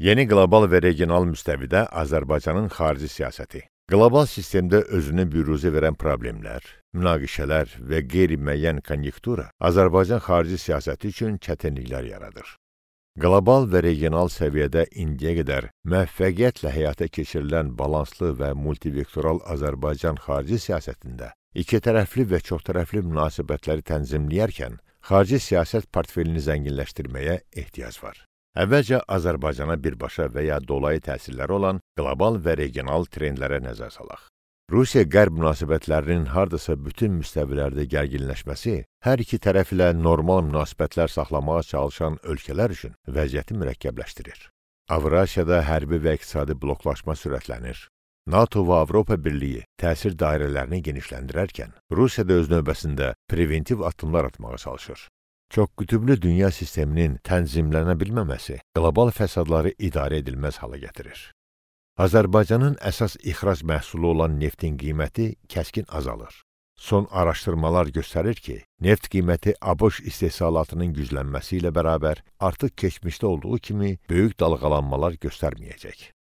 Yeni qlobal və regional müstəvidə Azərbaycanın xarici siyasəti. Qlobal sistemdə özünü büruzə verən problemlər, münaqişələr və qeyri-müəyyən konjunktura Azərbaycan xarici siyasəti üçün çətinliklər yaradır. Qlobal və regional səviyyədə indiyə qədər müvəffəqiyyətlə həyata keçirilən balanslı və multivektoral Azərbaycan xarici siyasətində ikitərəfli və çoxtərəfli münasibətləri tənzimləyərkən xarici siyasət portfelini zənginləşdirməyə ehtiyac var. Əvvəlcə Azərbaycana birbaşa və ya dolayı təsirləri olan qlobal və regional trendlərə nəzər salaq. Rusiya-Qərb münasibətlərinin hardasa bütün müstəvilərdə gərginləşməsi hər iki tərəf ilə normal münasibətlər saxlamağa çalışan ölkələr üçün vəziyyəti mürəkkəbləşdirir. Avrasiyada hərbi və iqtisadi bloklaşma sürətlənir. NATO və Avropa Birliyi təsir dairələrini genişləndirərkən, Rusiya da öz növbəsində preventiv addımlar atmağa çalışır. Çoxqütüblü dünya sisteminin tənzimlənə bilməməsi qlobal fəsadları idarə edilməz hala gətirir. Azərbaycanın əsas ixrac məhsulu olan neftin qiyməti kəskin azalır. Son araşdırmalar göstərir ki, neft qiyməti ABŞ istehsalatının güclənməsi ilə bərabər artıq keçmişdə olduğu kimi böyük dalğalanmalar göstərməyəcək.